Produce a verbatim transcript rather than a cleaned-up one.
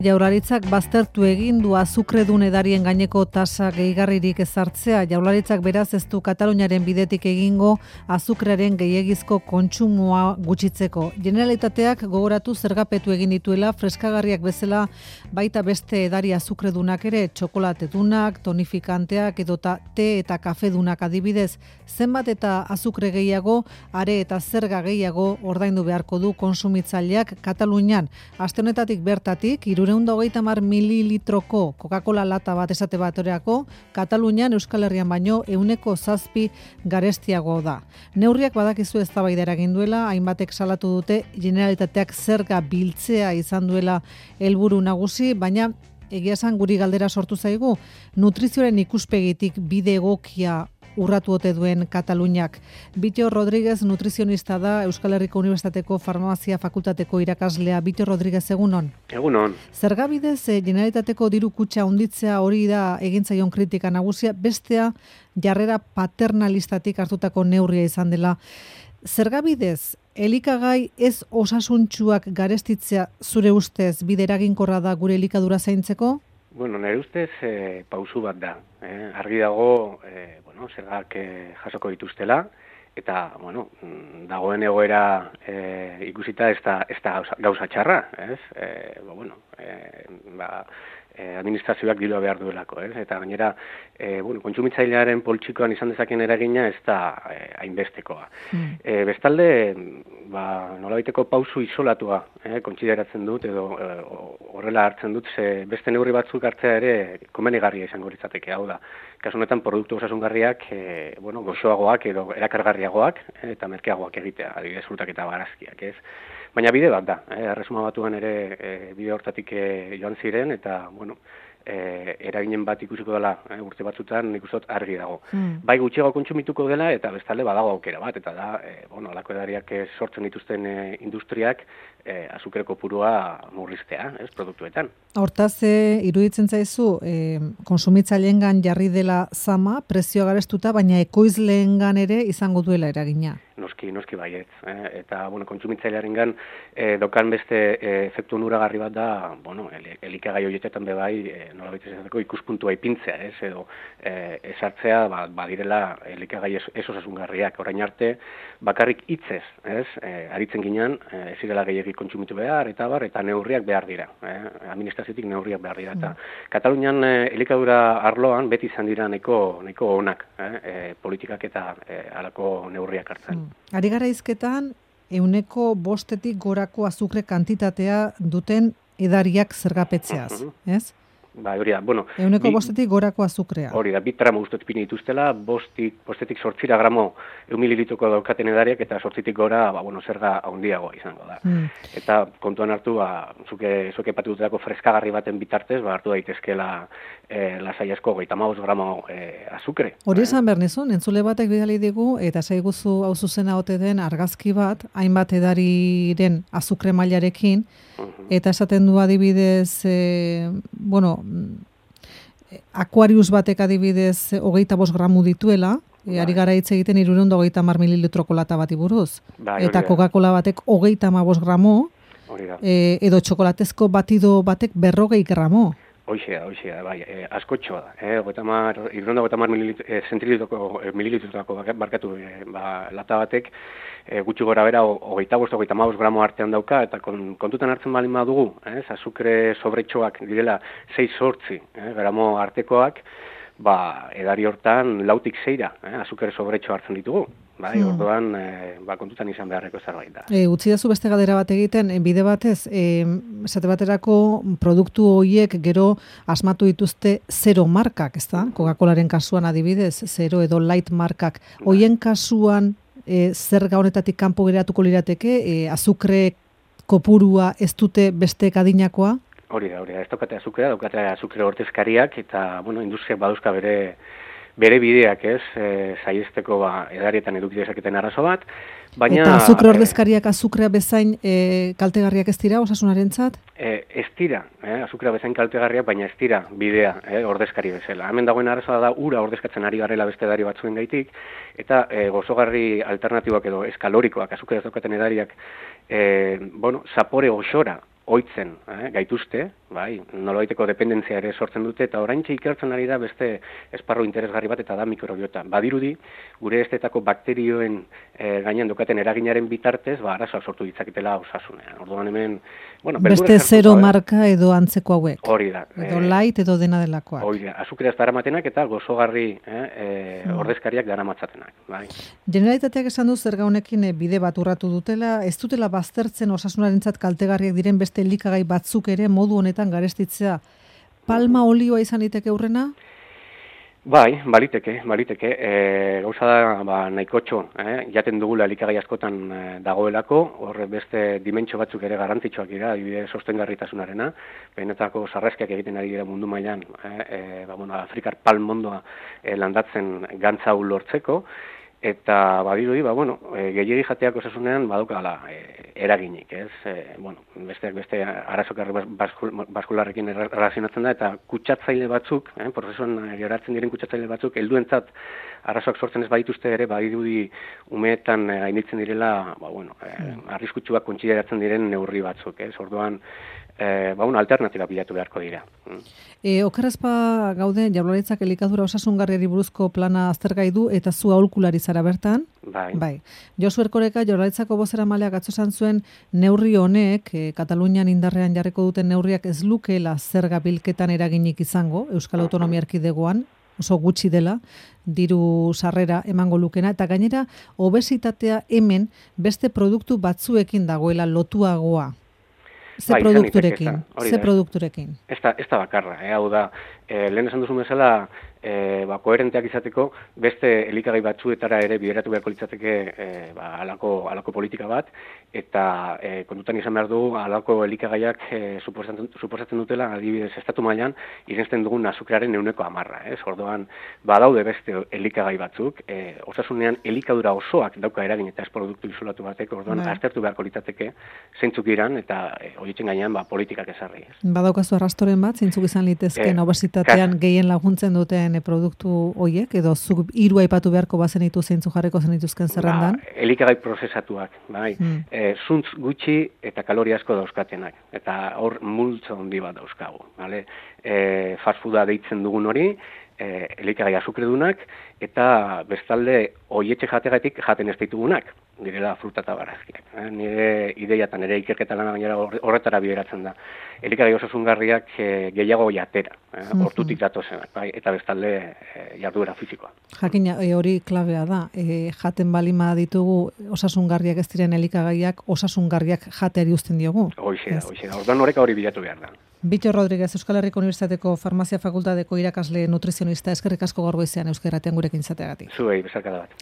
Jaurlaritzak baztertu egin du azukredun edarien gaineko tasa gehigarririk ezartzea. Jaurlaritzak beraz ez du Kataluniaren bidetik egingo azukrearen gehiegizko kontsumoa gutxitzeko. Generalitateak gogoratu zergapetu egin dituela freskagarriak bezala baita beste edari azukredunak ere, txokolatedunak, tonifikanteak edota te eta kafedunak adibidez. Zenbat eta azukre gehiago, are eta zerga gehiago ordaindu beharko du konsumitzaileak Katalunian. Aste honetatik bertatik, hirurehun eta hogeita hamar mililitroko Coca-Cola lata bat esate baterako, Katalunian Euskal Herrian baino ehuneko zazpi garestiago da. Neurriak badakizu eztabaida eragin duela, hainbatek salatu dute Generalitateak zerga biltzea izan duela helburu nagusi, baina egia esan guri galdera sortu zaigu, nutrizioaren ikuspegitik bide egokia urratu ote duen Kataluniak. Bittor Rodríguez nutrizionista da, Euskal Herriko Unibertsitateko Farmazia Fakultateko irakaslea. Bittor Rodríguez, egunon. Egunon. Zergabidez, eh, Generalitateko diru kutxa handitzea hori da egin zaion kritika nagusia, bestea jarrera paternalistatik hartutako neurria izan dela. Zergabidez, elikagai ez osasuntsuak garestitzea zure ustez bide eraginkorra da gure elikadura zaintzeko? Bueno, nire ustez eh, pausu bat da. Eh? Argi dago, eh, bueno, zergak eh, jasoko dituztela, eta, bueno, dagoen egoera eh, ikusita ez da, ez da gauza, gauza txarra, ez? Eh, ba, bueno, eh, ba, eh, administrazioak dirua behar duelako, ez? Eta gainera, eh, bueno, kontsumitzailearen poltsikoan izan dezaken eragina ez da eh, hainbestekoa. Mm. Eh, bestalde, ba, nolabaiteko pausu isolatua eh, kontsideratzen dut, edo eh, horrela hartzen dut, ze beste neurri batzuk hartzea ere komenigarria izango litzateke, hau da. Kasu honetan produktu osasungarriak, eh, bueno, goxoagoak edo erakargarriagoak eh, eta merkeagoak egitea, adibidez frutak eta barazkiak, ez? Baina bide bat da, eh, Erresuma Batuan ere eh, bide hortatik eh, joan ziren, eta, bueno, eh, eraginen bat ikusiko dela eh, urte batzutan nik uste dut argi dago. Mm. Bai gutxiago kontsumituko dela, eta bestalde badago aukera bat, eta da, eh, bueno, alako edariak eh, sortzen dituzten eh, industriak eh, azukre kopurua murriztea, ez, produktuetan. Hortaz, e, iruditzen zaizu, e, konsumitzaileengan jarri dela zama, prezioa garestuta, baina ekoizleengan ere izango duela eragina. Noski, noski baiet. Eh? Eta, bueno, kontsumitzailearengan eh, dokan beste eh, efektu onuragarri bat da, bueno, el, elikagai horietetan bebai, eh, nola baitezateko ikuspuntua ipintzea, ez, edo eh, esartzea, ba, badirela elikagai ez, ez osasungarriak. Orain arte, bakarrik hitzez, ez, eh, aritzen ginen, eh, ez zirela gehiagik kontsumitu behar, eta bar, eta neurriak behar dira. Eh? Administraziotik neurriak behar dira. Eta mm. Katalunian eh, elikadura arloan beti izan dira neko, neko onak, eh? eh, politikak eta eh, alako neurriak hartzen. Mm. Ari gara izketan, euneko bostetik gorako azukre kantitatea duten edariak zergapetzeaz, uh -huh. ez? Ba, hori da, bueno... Euneko bi, bostetik gorako azukrea. Hori da, bit gramo guztot pini dituztela, bostik, bostetik sortzira gramo eun mililitroko daukaten edariak, eta sortzitik gora, ba, bueno, zerga handiagoa izango da. Hmm. Eta kontuan hartu, ba, zuke, zuke patututako freskagarri baten bitartez, ba, hartu daitezkela eh, lasai asko, goita hamabost gramo eh, azukre. Hori esan behar nizun, entzule batek bidali digu, eta zaiguzu hau zuzena ote den argazki bat, hainbat edariren azukre mailarekin, eta esaten du adibidez, e, bueno, Aquarius batek adibidez hogeita bost gramu dituela, e, ari gara hitz egiten hirurehun eta hogeita hamar mililitroko lata bati buruz. Bai, eta Coca-Cola batek hogeita hamabost gramu, e, edo txokolatezko batido batek berrogei gramo. Hoxe da, hoxe da, bai, eh, askotxoa da, eh, hirurehun eta hogeita hamar mililitroko barkatu eh, ba, lata batek, E, gutxi gora bera, hogeita bost, hogeita hamabost gramo artean dauka, eta kon, kontutan hartzen balin badugu, eh, azukre sobretxoak direla sei sortzi eh, gramo artekoak, ba, edari hortan lautik zeira, eh, azukre sobretxo hartzen ditugu. Bai, hmm. orduan, e, ba, kontutan izan beharreko zerbait da. E, utzi dazu beste galdera bat egiten, bide batez, e, esate baterako produktu horiek gero asmatu dituzte zero markak, ez da? Coca-Colaren kasuan adibidez, zero edo light markak. Hoien kasuan, E, zerga honetatik kanpo geratuko lirateke, e, azukre kopurua ez dute beste adinakoa? Hori da, hori da, ez daukate azukrea, daukate azukre ordezkariak, eta, bueno, industriak baduzka bere, bere bideak, ez, e, saiesteko ba, edarietan eduki dezaketen arazo bat, baina... Eta azukre ordezkariak azukrea bezain e, kaltegarriak ez dira, osasunarentzat? E, ez dira, eh, azukrea bezain kaltegarriak, baina ez dira bidea eh, ordezkari bezala. Hemen dagoen arazoa da ura ordezkatzen ari garela beste edari batzuen gaitik, eta e, gozogarri alternatibak edo eskalorikoak, azukrea ez daukaten edariak, e, bueno, zapore osora oitzen eh, gaituzte, bai, nolabaiteko dependentzia ere sortzen dute, eta oraintxe ikertzen ari da beste esparru interesgarri bat, eta da mikrobiota. Badirudi, gure estetako bakterioen e, gainean dokaten eraginaren bitartez, ba, arazoak sortu ditzaketela osasunean. Orduan hemen, bueno, beste zero marka edo antzeko hauek. Hori da. Edo light edo dena delakoak. Hori da, azukreaz daramatenak eta gozogarri eh, e, mm. ordezkariak daramatzatenak. Bai. Generalitateak esan du zerga honekin bide bat urratu dutela, ez dutela baztertzen osasunarentzat kaltegarriak diren beste elikagai batzuk ere modu honetan garestitzea. Palma olioa izan liteke aurrena? Bai, baliteke, baliteke. E, gauza da, ba, nahikotxo, eh? jaten dugula elikagai askotan e, dagoelako, horre beste dimentsio batzuk ere garrantzitsuak dira, adibidez sostengarritasunarena, benetako sarraskiak egiten ari dira mundu mailan, eh? e, ba, bueno, Afrikar palmondoa e, landatzen gantza hau lortzeko, eta badirudi, ba, bueno, e, gehiegi jateak osasunean badukala e, eraginik, ez? E, bueno, besteak beste arazo kardiobaskularrekin erlazionatzen da, eta kutsatzaile batzuk, eh, prozesuan geratzen diren kutsatzaile batzuk, helduentzat arazoak sortzen ez badituzte ere, badirudi umeetan e, gainditzen direla, ba, bueno, e, arriskutsuak kontsideratzen diren neurri batzuk, ez? Orduan, E, ba, una alternatiba bilatu beharko dira. E, Okerrezpa gaude, Jaurlaritzak elikadura osasungarriari buruzko plana aztergai du, eta zu aholkulari zara bertan. Bai. Bai. Josu Erkoreka, Jaurlaritzako bozeramaleak atzo esan zuen neurri honek, e, Katalunian indarrean jarriko duten neurriak ez lukeela zerga bilketan eraginik izango, Euskal Autonomia Erkidegoan, oso gutxi dela, diru sarrera emango lukena, eta gainera, obesitatea hemen beste produktu batzuekin dagoela lotuagoa. Ze bai, produkturekin, ze produkturekin. Ez da, ez da bakarra, eh? Hau da, eh, lehen esan duzu bezala, e, ba, koherenteak izateko, beste elikagai batzuetara ere bideratu beharko litzateke e, ba, alako, alako politika bat, eta e, kontutan izan behar du, alako elikagaiak e, suposatzen, suposatzen dutela, adibidez, estatu mailan, irensten dugun azukrearen euneko amarra. Ez? Orduan, badaude beste elikagai batzuk, e, osasunean elikadura osoak dauka eragin eta ez produktu isolatu batek, orduan, Bai. aztertu beharko litzateke zeintzuk iran, eta e, horitzen gainean ba, politikak ezarri. Ez? Badaukazu arrastoren bat, zeintzuk izan litezken e, obesitatean gehien laguntzen duten produktu hoiek, edo zuk hiru aipatu beharko bazenitu zeintzuk jarriko zenituzken zerrendan? Ba, elikagai prozesatuak, bai. Mm. E, zuntz gutxi eta kalori asko dauzkatenak, eta hor multzo handi bat dauzkagu. Vale? E, fast fooda deitzen dugun hori, e, elikagai azukredunak, eta bestalde hoietxe jategatik jaten ez ditugunak, direla fruta eta barazkiak. Eh? Nire ideiatan, ere ikerketa lana gainera horretara bideratzen da. Elikagai osasungarriak e, gehiago jatera, eh? hortutik datozenak, bai? Eta bestalde e, jarduera fisikoa. Jakina, e, hori klabea da. E, jaten balima ditugu osasungarriak ez diren elikagaiak, osasungarriak jateari uzten diogu. Hoixe da, hoixe da. Orduan horreka hori bilatu behar da. Bittor Rodriguez, Euskal Herriko Unibertsitateko Farmazia Fakultateko irakasle nutrizionista, eskerrik asko gaur goizean Euskal Irratian gurekin izateagatik. Zuei, besarkada bat.